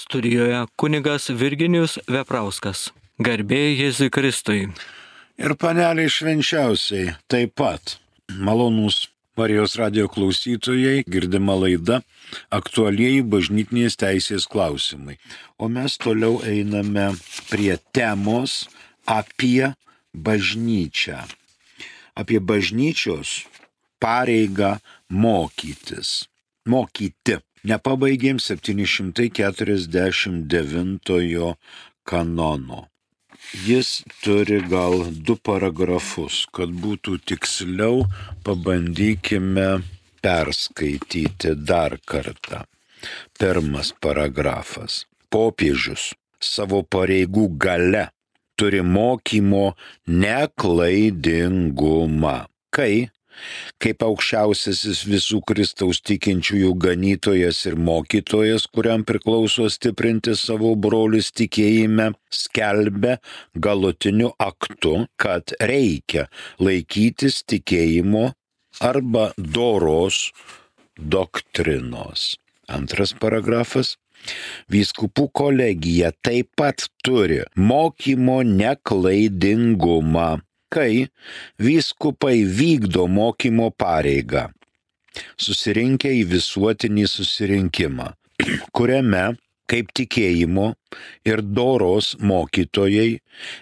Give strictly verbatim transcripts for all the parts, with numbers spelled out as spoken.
Studijoje kunigas Virginijus Veprauskas. Garbė Jėzui Kristui. Ir paneliai švenčiausiai taip pat. Malonūs Marijos radijo klausytojai, girdima laida aktualieji bažnytinės teisės klausimai. O mes toliau einame prie temos apie bažnyčią. Apie bažnyčios pareigą mokytis. Mokyti. Nepabaigėm septyni šimtai keturiasdešimt devintojo kanono. Jis turi gal du paragrafus, kad būtų tiksliau, pabandykime perskaityti dar kartą. Pirmas paragrafas. Popiežius savo pareigų gale turi mokymo neklaidingumą, kai kaip aukščiausiasis visų Kristaus tikinčiųjų ganytojas ir mokytojas, kuriam priklauso stiprinti savo brolius tikėjime, skelbia galutiniu aktu, kad reikia laikytis tikėjimo arba doros doktrinos. Antras paragrafas. Vyskupų kolegija taip pat turi mokymo neklaidingumą, kai vyskupai vykdo mokymo pareigą, susirinkę į visuotinį susirinkimą, kuriame kaip tikėjimo ir doros mokytojai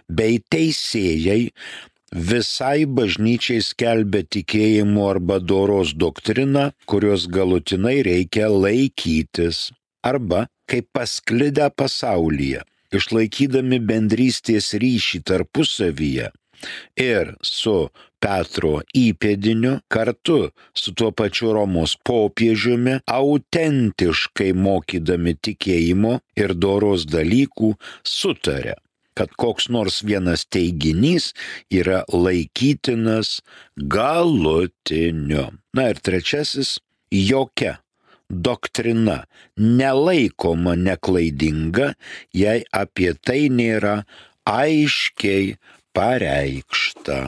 bei teisėjai visai bažnyčiai skelbia tikėjimo arba doros doktriną, kurios galutinai reikia laikytis, arba kaip pasklidę pasaulyje, išlaikydami bendrystės ryšį tarpusavyje, ir su Petro įpėdiniu kartu su tuo pačiu Romos popiežiumi autentiškai mokydami tikėjimo ir doros dalykų sutarė, kad koks nors vienas teiginys yra laikytinas galutiniu. Na ir trečiasis, jokia doktrina nelaikoma neklaidinga, jei apie tai nėra aiškiai pareikšta.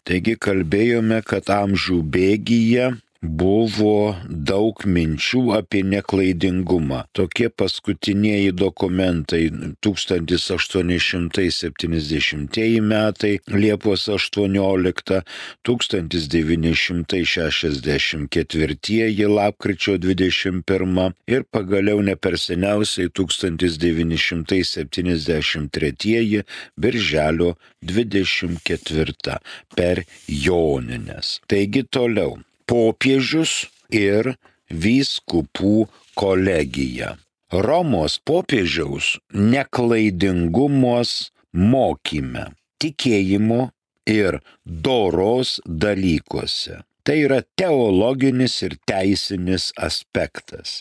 Taigi kalbėjome, kad amžių bėgyje buvo daug minčių apie neklaidingumą. Tokie paskutinieji dokumentai tūkstantis aštuoni šimtai septyniasdešimtieji metai, Liepos aštuoniolikta, tūkstantis devyni šimtai šešiasdešimt ketvirtieji, lapkričio dvidešimt pirma ir pagaliau ne per seniausiai tūkstantis devyni šimtai septyniasdešimt tretieji, birželio dvidešimt ketvirta per Jonines. Taigi toliau. Popiežius ir vyskupų kolegija. Romos popiežiaus neklaidingumos mokyme, tikėjimo ir doros dalykuose. Tai yra teologinis ir teisinis aspektas.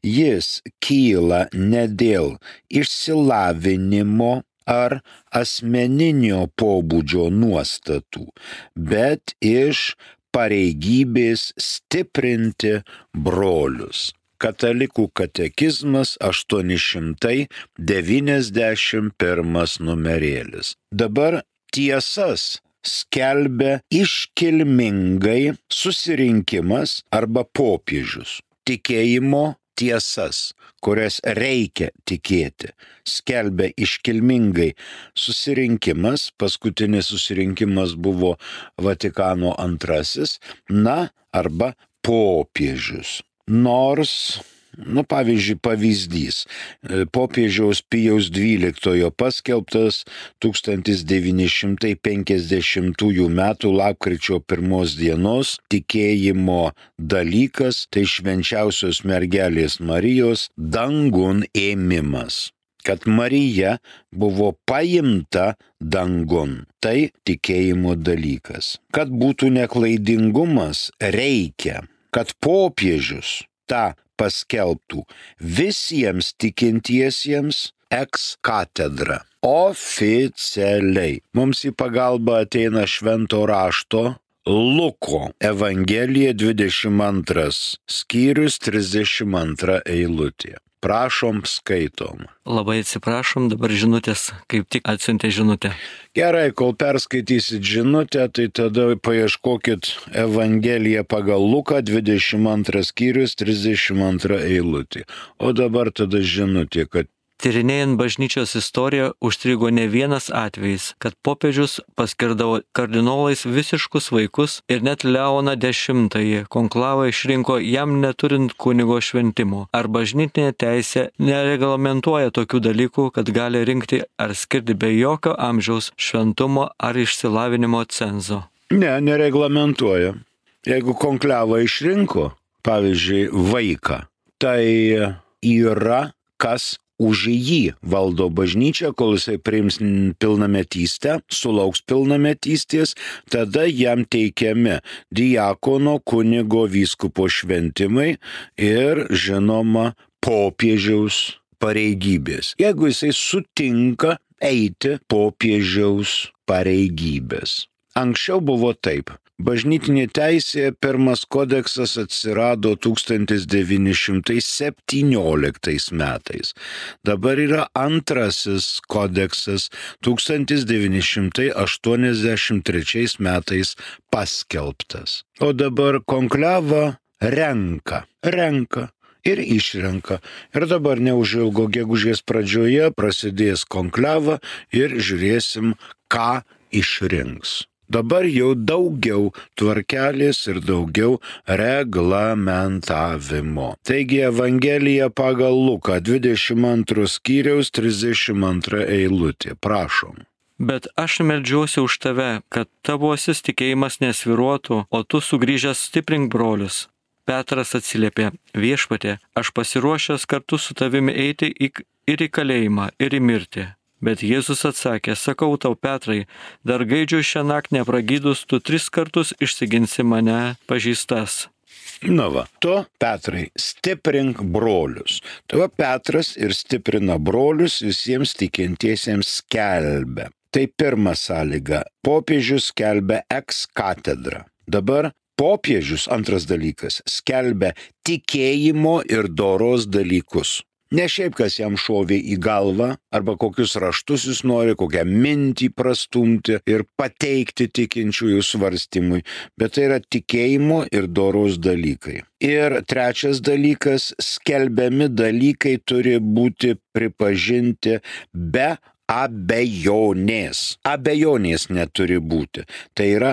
Jis kyla ne dėl išsilavinimo ar asmeninio pobūdžio nuostatų, bet iš pareigybės stiprinti brolius. Katalikų katekizmas aštuoni šimtai devyniasdešimt pirmas numerėlis. Dabar tiesas skelbia iškilmingai susirinkimas arba popiežius. Tikėjimo tiesas, kurias reikia tikėti, skelbia iškilmingai susirinkimas, paskutinis susirinkimas buvo Vatikano antrasis, na, arba popiežius. Nors, nu, pavyzdžiui, pavyzdys, popiežiaus Pijaus dvyliktojo paskelbtas tūkstantis devyni šimtai penkiasdešimtųjų metų lapkričio pirmos dienos tikėjimo dalykas, tai švenčiausios mergelės Marijos dangun ėmimas. Kad Marija buvo paimta dangun, tai tikėjimo dalykas. Kad būtų neklaidingumas, reikia, kad popiežius tą paskelbtų visiems tikintiesiems ex katedra. Oficialiai. Mums į pagalbą ateina švento rašto Luko Evangelija dvidešimt antras skyrius trisdešimt antra eilutė. Prašom, skaitom. Labai atsiprašom, dabar žinutės, kaip tik atsiuntė žinutę. Gerai, kol perskaitysit žinutę, tai tada paieškokit Evangeliją pagal Luką, dvidešimt antras skyrius, trisdešimt antra eilutė. O dabar tada žinutė, kad Tyrinėjant bažnyčios istoriją užstrigo ne vienas atvejis, kad popiežius paskirdavo kardinolais visiškus vaikus ir net Leoną dešimtąjį konklavą išrinko jam neturint kunigo šventimo. Ar bažnytinė teisė nereglamentuoja tokių dalykų, kad gali rinkti ar skirti be jokio amžiaus, šventumo ar išsilavinimo cenzo? Ne, nereglamentuoja. Jeigu konklavą išrinko, pavyzdžiui, vaiką, tai yra kas už jį valdo bažnyčią, kol jisai priims pilnametystę, sulauks pilnametystės, tada jam teikiami diakono, kunigo, vyskupo šventimai ir, žinoma, popiežiaus pareigybės. Jeigu jisai sutinka eiti popiežiaus pareigybės. Anksčiau buvo taip. Bažnytinė teisė, pirmas kodeksas atsirado tūkstantis devyni šimtai septynioliktais metais. Dabar yra antrasis kodeksas tūkstantis devyni šimtai aštuoniasdešimt trečiais metais paskelbtas. O dabar konklavą renka, renka ir išrenka. Ir dabar neužilgo gegužės pradžioje prasidės konklava ir žiūrėsim, ką išrinks. Dabar jau daugiau tvarkelės ir daugiau reglamentavimo. Taigi Evangelija pagal Luką, dvidešimt antras skyriaus, trisdešimt antra eilutė. Prašom. Bet aš meldžiuosi už tave, kad tavosis tikėjimas nesviruotų, o tu sugrįžęs stiprink brolius. Petras atsiliepė, viešpatie, aš pasiruošęs kartu su tavimi eiti į, ir į kalėjimą, ir į mirtį. Bet Jėzus atsakė, sakau tau, Petrai, dar gaidžiu šią naktį nepragydus, tu tris kartus išsiginsi mane pažįstas. Na va, tu, Petrai, stiprink brolius. Tu va, Petras ir stiprina brolius, visiems tikintiesiems skelbia. Tai pirma sąlyga. Popiežius skelbia ex katedra. Dabar popiežius, antras dalykas, skelbia tikėjimo ir doros dalykus. Ne šiaip, kas jam šovė į galvą, arba kokius raštus jis nori, kokią mintį prastumti ir pateikti tikinčiųjų svarstymui, bet tai yra tikėjimo ir doros dalykai. Ir trečias dalykas, skelbiami dalykai turi būti pripažinti be abejonės. Abejonės neturi būti. Tai yra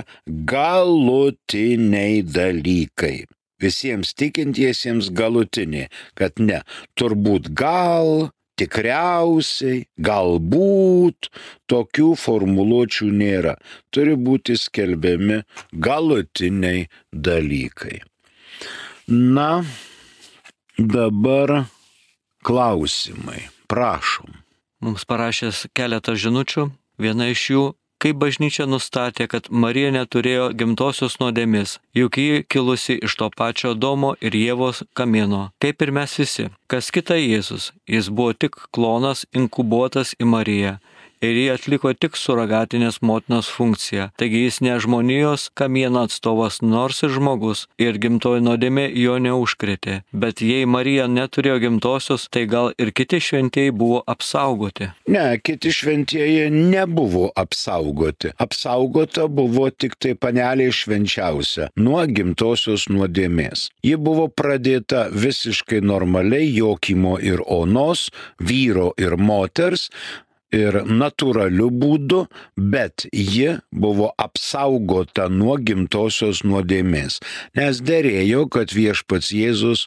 galutiniai dalykai. Visiems tikintiesiems galutinė, kad ne, turbūt gal, tikriausiai, galbūt, tokių formuluočių nėra. Turi būti skelbiami galutiniai dalykai. Na, dabar klausimai. Prašom. Mums parašęs keletą žinučių, viena iš jų, kaip bažnyčia nustatė, kad Marija neturėjo gimtosios nuodėmės, juk ji kilusi iš to pačio Adomo ir Ievos kamieno, kaip ir mes visi. Kas kita Jėzus, jis buvo tik klonas inkubuotas į Mariją. Ir jį atliko tik suragatinės motinos funkciją. Taigi jis ne žmonijos kamieno atstovas, nors ir žmogus, ir gimtoji nuodėmė jo neužkrėtė. Bet jei Marija neturėjo gimtosios, tai gal ir kiti šventieji buvo apsaugoti? Ne, kiti šventieji nebuvo apsaugoti. Apsaugota buvo tik tai panelė švenčiausia nuo gimtosios nuodėmės. Ji buvo pradėta visiškai normaliai Jokimo ir Onos, vyro ir moters, ir natūraliu būdu, bet ji buvo apsaugota nuo gimtosios nuodėmės, nes derėjo, kad viešpats Jėzus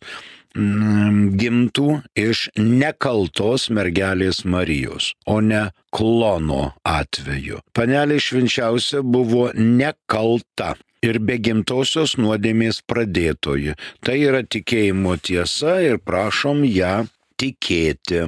mm, gimtų iš nekaltos mergelės Marijos, o ne klono atveju. Panelė švenčiausia buvo nekalta ir be gimtosios nuodėmės pradėtoji. Tai yra tikėjimo tiesa ir prašom ją tikėti.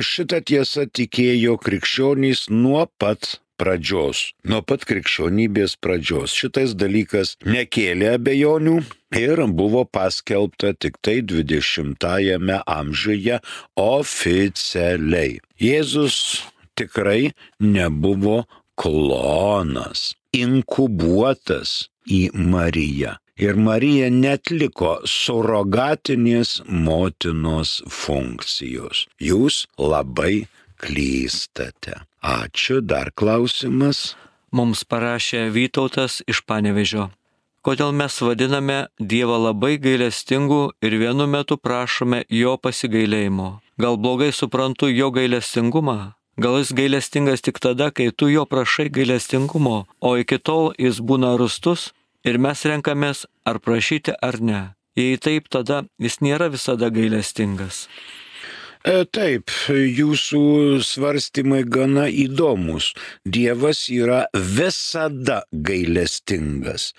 Šitą tiesą tikėjo krikščionys nuo pat pradžios, nuo pat krikščionybės pradžios. Šitas dalykas nekėlė abejonių ir buvo paskelbta tik tai dvidešimtajame amžiuje oficialiai. Jėzus tikrai nebuvo klonas, inkubuotas į Mariją. Ir Marija netliko surogatinės motinos funkcijos. Jūs labai klystate. Ačiū, dar klausimas. Mums parašė Vytautas iš Panevėžio. Kodėl mes vadiname Dievą labai gailestingu ir vienu metu prašome jo pasigailėjimo? Gal blogai suprantu jo gailestingumą? Gal jis gailestingas tik tada, kai tu jo prašai gailestingumo, o iki tol jis būna rūstus ir mes renkamės ar prašyti ar ne. Jei taip, tada jis nėra visada gailestingas. E, taip, jūsų svarstymai gana įdomus. Dievas yra visada gailestingas,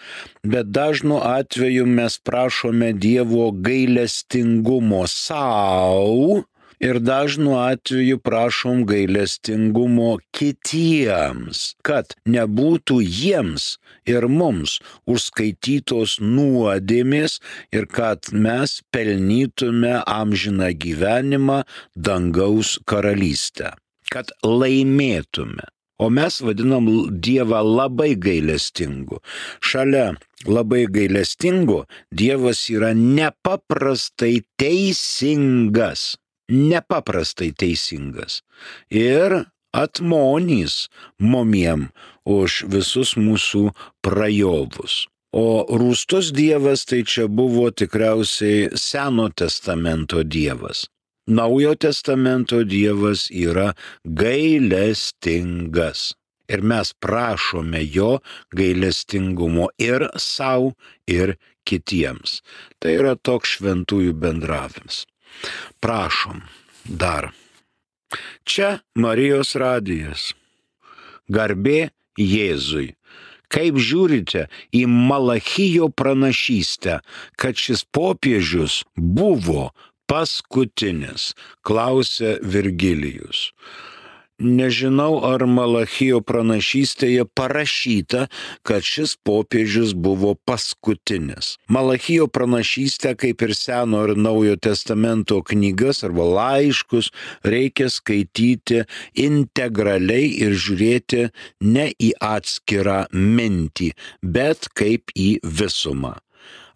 bet dažnu atveju mes prašome Dievo gailestingumo savo ir dažnu atveju prašom gailestingumo kitiems, kad nebūtų jiems ir mums užskaitytos nuodėmės ir kad mes pelnytume amžiną gyvenimą dangaus karalystę, kad laimėtume. O mes vadinam Dievą labai gailestingu. Šalia labai gailestingu Dievas yra nepaprastai teisingas. Nepaprastai teisingas ir atmonys momiem už visus mūsų prajovus. O rūstus Dievas tai čia buvo tikriausiai Seno testamento Dievas. Naujo testamento Dievas yra gailestingas. Ir mes prašome jo gailestingumo ir sau, ir kitiems. Tai yra toks šventųjų bendravimas. Prašom dar. Čia Marijos radijas. Garbė Jėzui. Kaip žiūrite į Malachijo pranašystę, kad šis popiežius buvo paskutinis, klausė Virgilijus. Nežinau, ar Malachijo pranašystėje parašyta, kad šis popiežius buvo paskutinis. Malachijo pranašystę, kaip ir Seno ir Naujo testamento knygas arba laiškus, reikia skaityti integraliai ir žiūrėti ne į atskirą mintį, bet kaip į visumą.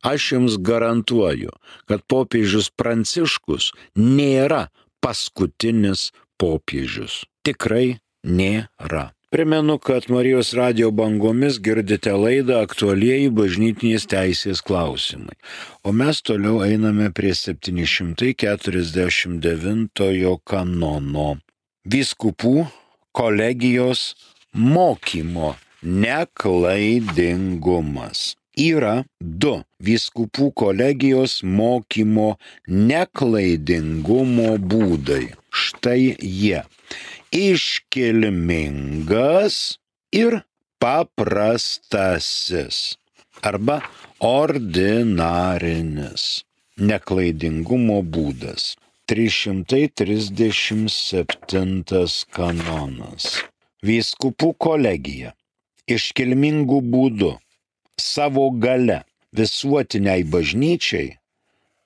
Aš jums garantuoju, kad popiežius Pranciškus nėra paskutinis popiežius. Tikrai nėra. Primenu, kad Marijos radijo bangomis girdite laidą Aktualieji bažnytinės teisės klausimai. O mes toliau einame prie septyni šimtai keturiasdešimt devintojo kanono. Vyskupų kolegijos mokymo neklaidingumas. Yra du vyskupų kolegijos mokymo neklaidingumo būdai. Štai jie. Iškilmingas ir paprastasis arba ordinarinis neklaidingumo būdas. trys šimtai trisdešimt septintas kanonas. Vyskupų kolegija iškilmingų būdų savo gale visuotiniai bažnyčiai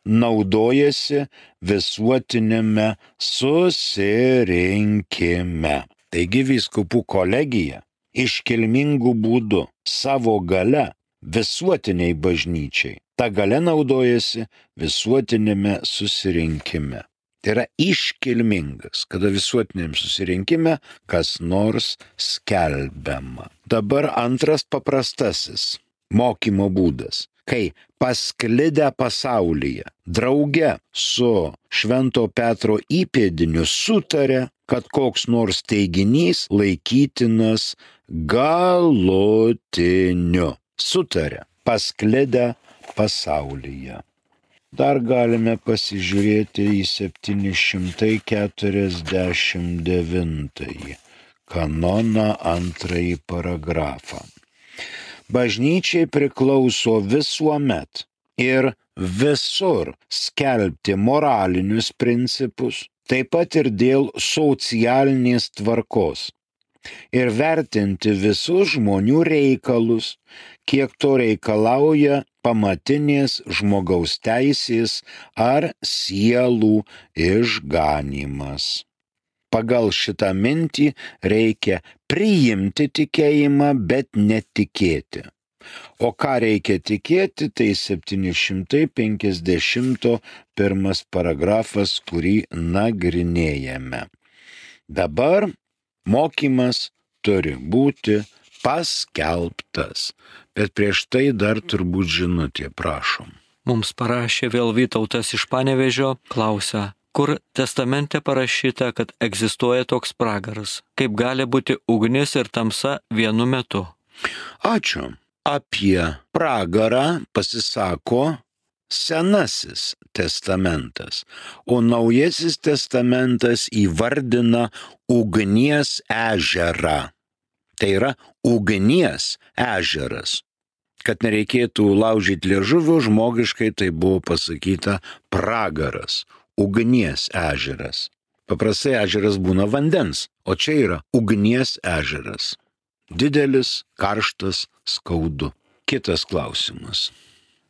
naudojasi visuotinėme susirinkime. Taigi vyskupų kolegija iškilmingų būdų savo gale visuotiniai bažnyčiai. Ta gale naudojasi visuotinėme susirinkime. Tai yra iškilmingas, kada visuotiniam susirinkime kas nors skelbiama. Dabar antras paprastasis mokymo būdas. Kai pasklidę pasaulyje drauge su Švento Petro įpėdiniu sutarė, kad koks nors teiginys laikytinas galutiniu. Sutarė pasklidę pasaulyje. Dar galime pasižiūrėti į septyni šimtai keturiasdešimt devintąjį kanoną antrąjį paragrafą. Bažnyčiai priklauso visuomet ir visur skelbti moralinius principus, taip pat ir dėl socialinės tvarkos, ir vertinti visus žmonių reikalus, kiek to reikalauja pamatinės žmogaus teisės ar sielų išganymas. Pagal šitą mintį reikia priimti tikėjimą, bet netikėti. O ką reikia tikėti, tai septyni šimtai penkiasdešimt pirmas paragrafas, kurį nagrinėjame. Dabar mokymas turi būti paskelbtas, bet prieš tai dar turbūt žinutė, prašom. Mums parašė vėl Vytautas iš Panevėžio, klausia, kur testamente parašyta, kad egzistuoja toks pragaras, kaip gali būti ugnis ir tamsa vienu metu. Ačiū. Apie pragarą pasisako Senasis testamentas, o Naujasis testamentas įvardina ugnies ežerą. Tai yra ugnies ežeras. Kad nereikėtų laužyti liežuvio, žmogiškai tai buvo pasakyta pragaras, ugnies ežeras. Paprastai ežeras būna vandens, o čia yra ugnies ežeras. Didelis, karštas, skaudu. Kitas klausimas.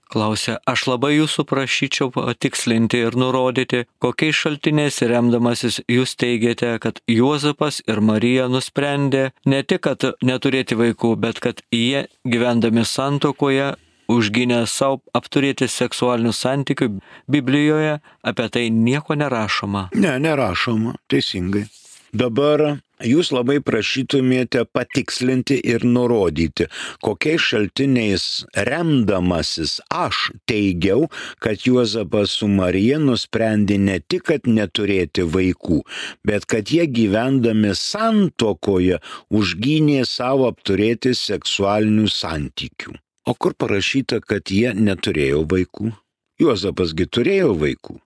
Klausia, aš labai jūsų prašyčiau patikslinti ir nurodyti, kokiais šaltiniais remdamasis jūs teigiate, kad Juozapas ir Marija nusprendė ne tik, kad neturėti vaikų, bet kad jie, gyvendami santuokoje, užgynė savo apturėti seksualinių santykių. Biblijoje apie tai nieko nerašoma. Ne, nerašoma, teisingai. Dabar jūs labai prašytumėte patikslinti ir nurodyti, kokiais šaltiniais remdamasis aš teigiau, kad Juozapas su Marija nusprendė ne tik, kad neturėti vaikų, bet kad jie gyvendami santuokoje užgynė savo apturėti seksualinių santykių. O kur parašyta, kad jie neturėjo vaikų? Juozapasgi turėjo vaikų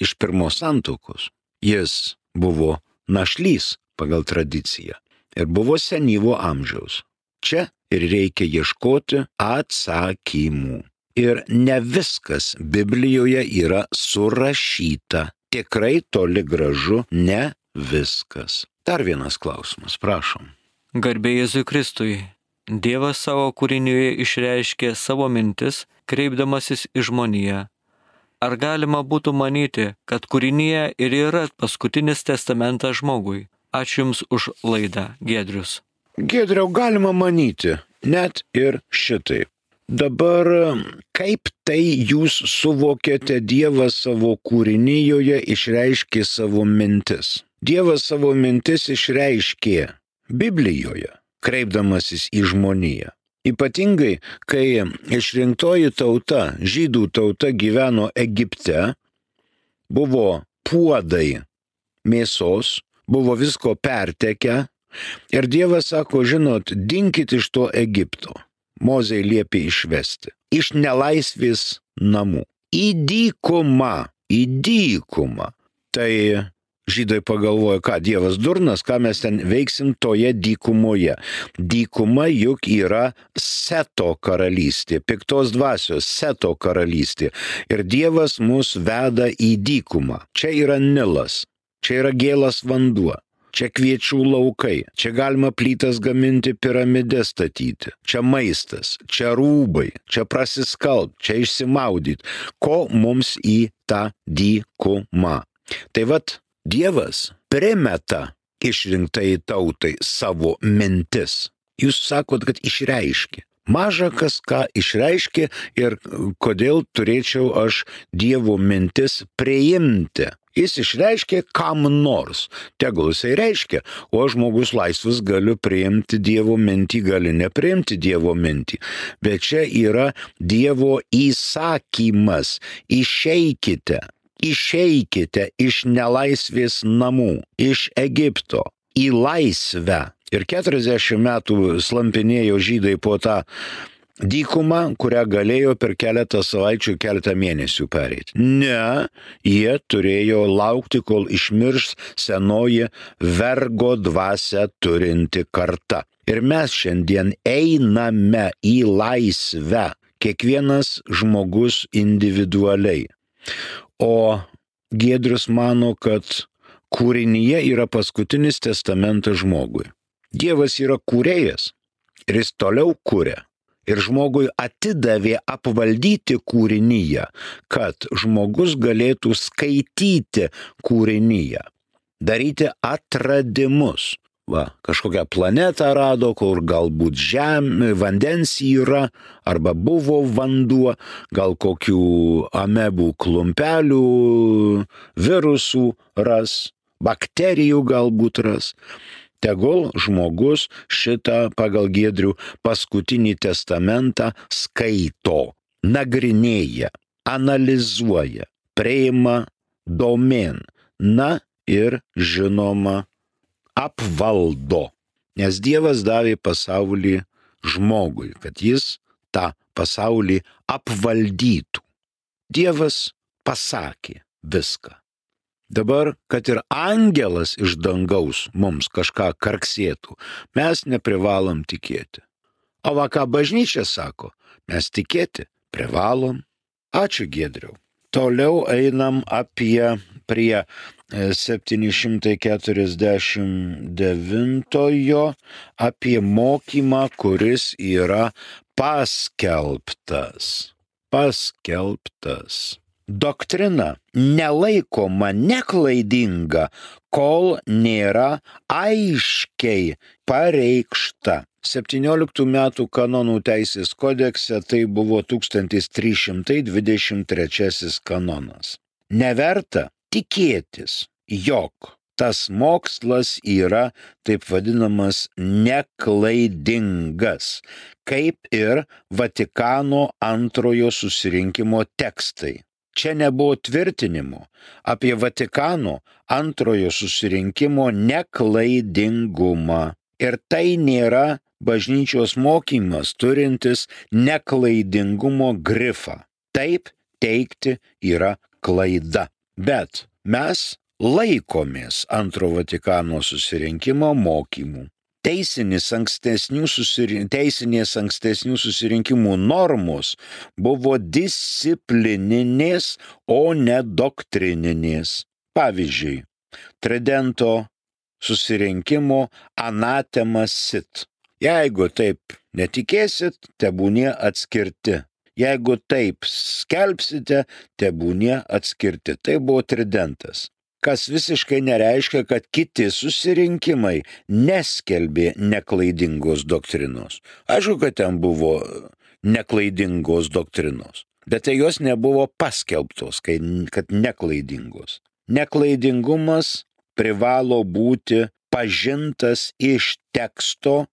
iš pirmos santuokos. Jis buvo našlys pagal tradiciją ir buvo senyvo amžiaus. Čia ir reikia ieškoti atsakymų. Ir ne viskas Biblijoje yra surašyta. Tikrai toli gražu ne viskas. Dar vienas klausimas, prašom. Garbė Jėzui Kristui. Dievas savo kūrinyje išreiškė savo mintis, kreipdamasis į žmoniją. Ar galima būtų manyti, kad kūrinyje ir yra paskutinis testamentas žmogui? Ačiū Jums už laidą, Giedrius. Giedriau, galima manyti, net ir šitaip. Dabar, kaip tai jūs suvokėte, Dievas savo kūrinyje išreiškė savo mintis? Dievas savo mintis išreiškė Biblijoje, kreipdamasis į žmoniją. Ypatingai, kai išrinktoji tauta, žydų tauta gyveno Egipte, buvo puodai mėsos, buvo visko pertekę ir Dievas sako, žinot, dinkit iš to Egipto. Mozei liepė išvesti. Iš nelaisvės namų. Į dykumą. Į dykumą. Tai žydai pagalvojo, ką Dievas durnas, ką mes ten veiksim toje dykumoje. Dykuma juk yra Seto karalystė, piktos dvasios Seto karalystė. Ir Dievas mus veda į dykumą. Čia yra Nilas, čia yra gėlas vanduo, čia kviečių laukai, čia galima plytas gaminti, piramides statyti, čia maistas, čia rūbai, čia prasiskalbt, čia išsimaudyti. Ko mums į tą dykumą? Tai vat, Dievas primeta išrinktai tautai savo mintis. Jūs sakot, kad išreiškė. Maža kas ką išreiškė ir kodėl turėčiau aš Dievo mintis priimti. Jis išreiškė kam nors. Tegul jisai reiškia, o žmogus laisvas galiu priimti Dievo mintį, gali nepriimti Dievo mintį. Bet čia yra Dievo įsakymas. Išeikite. Išeikite iš nelaisvės namų, iš Egipto, į laisvę. Ir keturiasdešimt metų slampinėjo žydai po tą dykumą, kurią galėjo per keletą savaičių, keletą mėnesių pereiti. Ne, jie turėjo laukti, kol išmirs senoji vergo dvasia turinti karta. Ir mes šiandien einame į laisvę, kiekvienas žmogus individualiai. O Giedrius mano, kad kūrinyje yra paskutinis testamentas žmogui. Dievas yra kūrėjas ir jis toliau kūrė. Ir žmogui atidavė apvaldyti kūrinyje, kad žmogus galėtų skaityti kūrinyje, daryti atradimus. va, kažkokią planetą rado, kur galbūt žemė, vandens yra, arba buvo vanduo, gal kokių amebų klumpelių, virusų ras, bakterijų galbūt ras. Tegul žmogus šitą pagal Giedrių paskutinį testamentą skaito, nagrinėja, analizuoja, priima domėn, na ir žinoma apvaldo. Nes Dievas davė pasaulį žmogui, kad jis tą pasaulį apvaldytų. Dievas pasakė viską. Dabar, kad ir angelas iš dangaus mums kažką karksėtų, mes neprivalom tikėti. O va ką bažnyčia sako, mes tikėti privalom. Ačiū Giedriau. Toliau einam apie prie septyni šimtai keturiasdešimt devintojo, apie mokymą, kuris yra paskelbtas. Paskelbtas. Doktrina nelaikoma neklaidinga, kol nėra aiškiai pareikšta. septynioliktų metų kanonų teisės kodekse tai buvo tūkstantis trys šimtai dvidešimt trečiasis kanonas. Neverta tikėtis, jog tas mokslas yra taip vadinamas neklaidingas, kaip ir Vatikano antrojo susirinkimo tekstai. Čia nebuvo tvirtinimo apie Vatikano antrojo susirinkimo neklaidingumą. Ir tai nėra bažnyčios mokymas turintis neklaidingumo grifą. Taip teigti yra klaida. Bet mes laikomės antro Vatikano susirinkimo mokymų. Teisinis ankstesnių susirin... Teisinės ankstesnių susirinkimų normos buvo disciplininės, o ne doktrininės. Pavyzdžiui, Tridento susirinkimo anatema sit. Jeigu taip netikėsit, tebūnie atskirti. Jeigu taip skelbsite, tebūnie atskirti. Tai buvo Tridentas. Kas visiškai nereiškia, kad kiti susirinkimai neskelbė neklaidingos doktrinos. Aišku, kad ten buvo neklaidingos doktrinos, bet tai jos nebuvo paskelbtos, kad neklaidingos. Neklaidingumas privalo būti pažintas iš teksto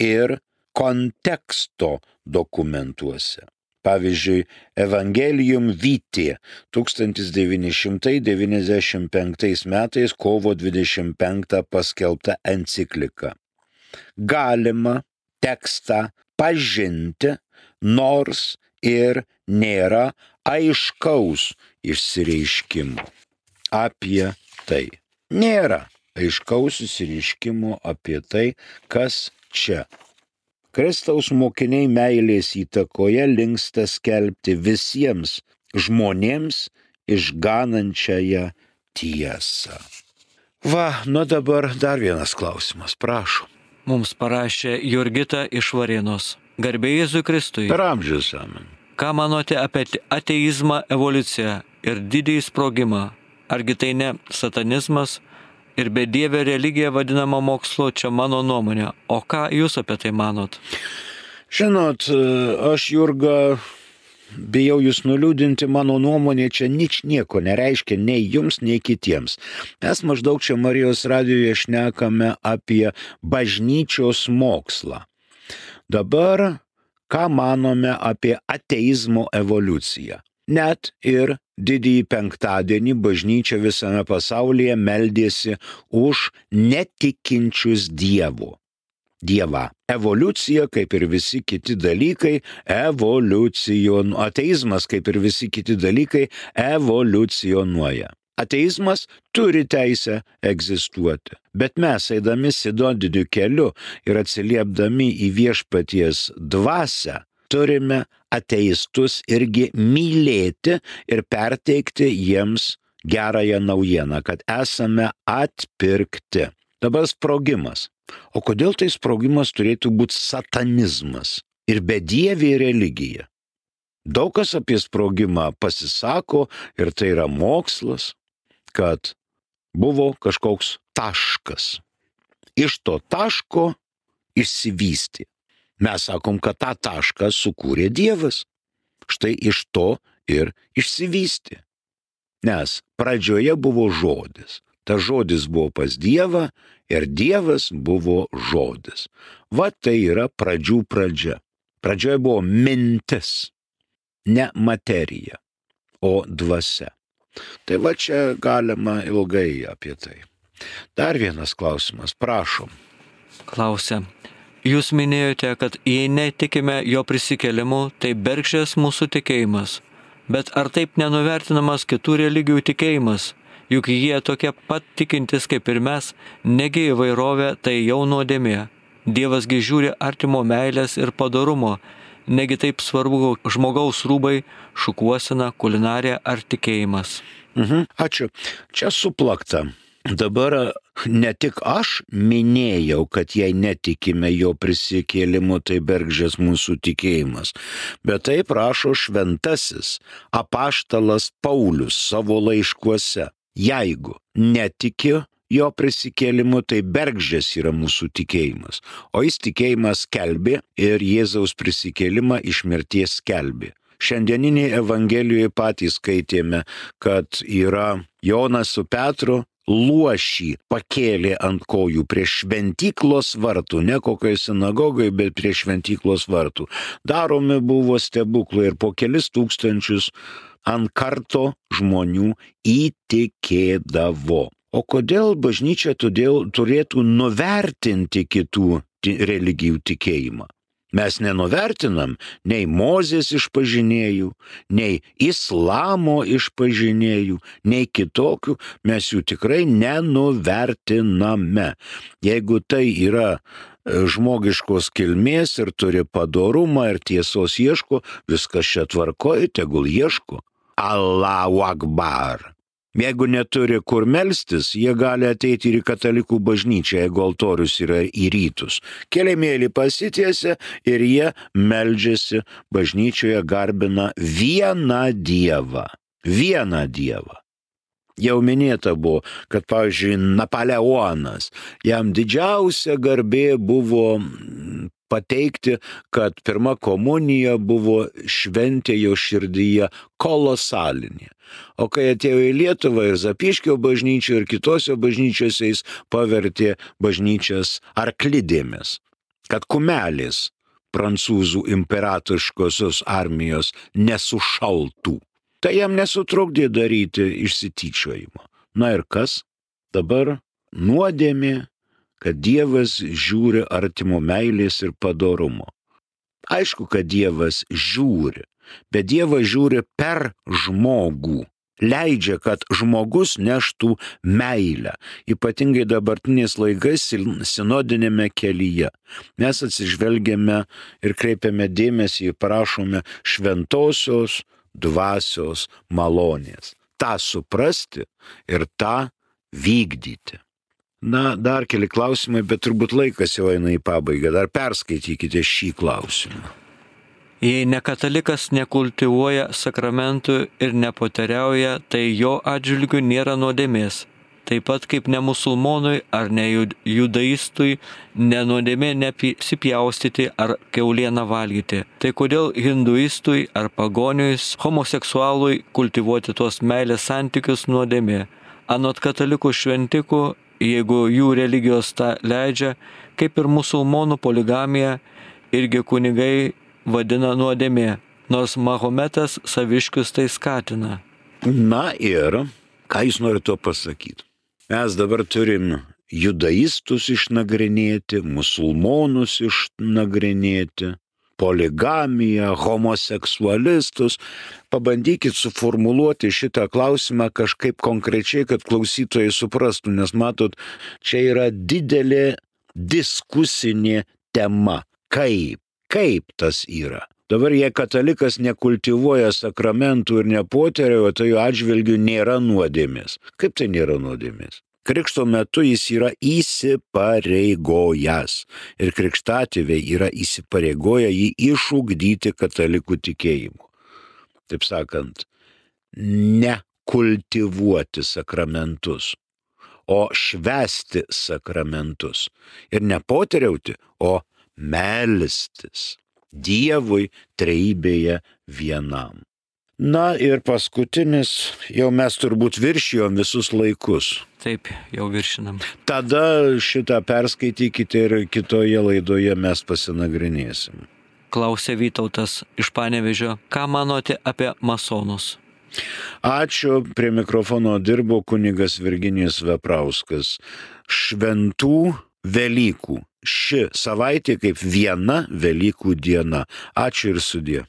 ir konteksto dokumentuose. Pavyzdžiui, Evangelium Vitae tūkstantis devyni šimtai devyniasdešimt penktais metais kovo dvidešimt penktą paskelbta enciklika. Galima tekstą pažinti, nors ir nėra aiškaus išsireiškimo apie tai. Nėra aiškaus išsireiškimo apie tai, kas čia. Kristaus mokiniai meilės įtakoje linksta skelbti visiems žmonėms išganančiąją tiesą. Va, nu dabar dar vienas klausimas, prašom. Mums parašė Jurgita iš Varėnos. Garbė Jėzui Kristui. Per amžius amen. Ką manote apie ateizmą, evoliuciją ir didįjį sprogimą? Argi tai ne satanizmas? Ir bedievė religija vadinama mokslu, čia mano nuomonė. O ką jūs apie tai manot? Žinot, aš, Jurga, bijau jūs nuliūdinti, mano nuomonė čia nič nieko nereiškia nei jums, nei kitiems. Mes maždaug čia Marijos radijoje šnekame apie bažnyčios mokslą. Dabar, ką manome apie ateizmo evoliuciją? Net ir didįjį penktadienį bažnyčia visame pasaulyje meldėsi už netikinčius Dievu. Dievą. Evoliucija, kaip ir visi kiti dalykai, evoliucijon... ateizmas, kaip ir visi kiti dalykai, evoliucionuoja. Ateizmas turi teisę egzistuoti, bet mes, eidami sinodiniu keliu ir atsiliepdami į viešpaties dvasią, turime ateistus irgi mylėti ir perteikti jiems gerąją naujieną, kad esame atpirkti. Dabar sprogimas. O kodėl tai sprogimas turėtų būti satanizmas ir bedievė religija? Daug kas apie sprogimą pasisako ir tai yra mokslas, kad buvo kažkoks taškas. iš to taško išsivystė. Mes sakom, kad tą tašką sukūrė Dievas. Štai iš to ir išsivystė. Nes pradžioje buvo žodis. Ta žodis buvo pas Dievą ir Dievas buvo žodis. Va tai yra pradžių pradžia. Pradžioje buvo mintis, ne materija, o dvasia. Tai va čia galima ilgai apie tai. Dar vienas klausimas, prašom. Klausia. Jūs minėjote, kad jei netikime jo prisikėlimu, tai bergždžias mūsų tikėjimas. Bet ar taip nenuvertinamas kitų religijų tikėjimas? Juk jie tokie pat tikintis kaip ir mes, negi įvairovė tai jau nuodėmė. Dievasgi žiūri artimo meilės ir padorumo, negi taip svarbu žmogaus rūbai, šukuosena, kulinarija ar tikėjimas. Mhm, ačiū. Čia suplakta. Dabar ne tik aš minėjau, kad jei netikime jo prisikėlimu, tai bergždžias mūsų tikėjimas, bet taip rašo šventasis apaštalas Paulius savo laiškuose. Jeigu netikiu jo prisikėlimu, tai bergždžias yra mūsų tikėjimas, o jis tikėjimas skelbė ir Jėzaus prisikėlimą iš mirties skelbė. Šiandieninėje Evangelijoje patys skaitėme, kad yra Jonas su Petru luošį pakėlė ant kojų prie šventyklos vartų, ne kokioje sinagogoje, bet prie šventyklos vartų. Daromi buvo stebuklai ir po kelis tūkstančius ant karto žmonių įtikėdavo. O kodėl bažnyčia todėl turėtų nuvertinti kitų religijų tikėjimą? Mes nenuvertinam nei Mozės išpažinėjų, nei islamo išpažinėjų, nei kitokių, mes jų tikrai nenuvertiname. Jeigu tai yra žmogiškos kilmės ir turi padorumą ir tiesos ieško, viskas čia tvarkoja, tegul ieško. Allahu Akbar. Jeigu neturi kur melstis, jie gali ateiti ir į katalikų bažnyčią, jeigu altorius yra į rytus. Keliamėlį pasitiesia ir jie meldžiasi bažnyčioje, garbina vieną Dievą. Vieną Dievą. Jau minėta buvo, kad, pavyzdžiui, Napoleonas, jam didžiausia garbė buvo pateikti, kad pirma komunija buvo šventė jo širdyje kolosalinė. O kai atėjo į Lietuvą ir Zapyškio bažnyčio ir kitose bažnyčiose, jis pavertė bažnyčias arklidėmis, kad kumelės prancūzų imperatoriškosios armijos nesušaltų. Tai jam nesutrukdė daryti išsityčiojimą. Na ir kas? Dabar nuodėmė, kad Dievas žiūri artimo meilės ir padorumo. Aišku, kad Dievas žiūri, bet Dievas žiūri per žmogų. Leidžia, kad žmogus neštų meilę, ypatingai dabartiniais laikais sinodinėme kelyje. Mes atsižvelgiame ir kreipiame dėmesį ir prašome šventosios dvasios malonės. Ta suprasti ir tą vykdyti. Na, dar keli klausimai, bet turbūt laikas jau eina į pabaigą. Dar perskaitykite šį klausimą. Jei nekatalikas nekultivuoja sakramentų ir nepoteriauja, tai jo atžvilgiu nėra nuodėmės. Taip pat kaip ne musulmonui ar ne judaistui nenuodėmė nesipjaustyti ar kiaulieną valgyti. Tai kodėl hinduistui ar pagoniui, homoseksualui kultivuoti tuos meilės santykius nuodėmė? Anot katalikų šventikų, jeigu jų religijos tą leidžia, kaip ir musulmonų poligamija, irgi kunigai vadina nuodėmė, nors Mahometas saviškius tai skatina. Na ir, ką jūs norite to pasakyti? Mes dabar turim judaistus išnagrinėti, musulmonus išnagrinėti, poligamiją, homoseksualistus. Pabandykit suformuluoti šitą klausimą kažkaip konkrečiai, kad klausytojai suprastų, nes matot, čia yra didelė diskusinė tema. Kaip? Kaip tas yra? Dabar jei katalikas nekultivuoja sakramentų ir nepoteriauja, tai jo atžvilgiu nėra nuodėmės. Kaip tai nėra nuodėmės? Krikšto metu jis yra įsipareigojęs ir krikštatėviai yra įsipareigoję jį išugdyti katalikų tikėjimu. Taip sakant, nekultivuoti sakramentus, o švęsti sakramentus. Ir ne poteriauti, o melstis Dievui trejybėje vienam. Na ir paskutinis, jau mes turbūt viršijom visus laikus. Taip, jau viršinam. Tada šitą perskaitykite ir kitoje laidoje mes pasinagrinėsim. Klausė Vytautas iš Panevėžio, ką manote apie masonus? Ačiū, prie mikrofono dirbo kunigas Virginijus Veprauskas. Šventų Velykų. Ši savaitė kaip viena Velykų diena. Ačiū ir sudie.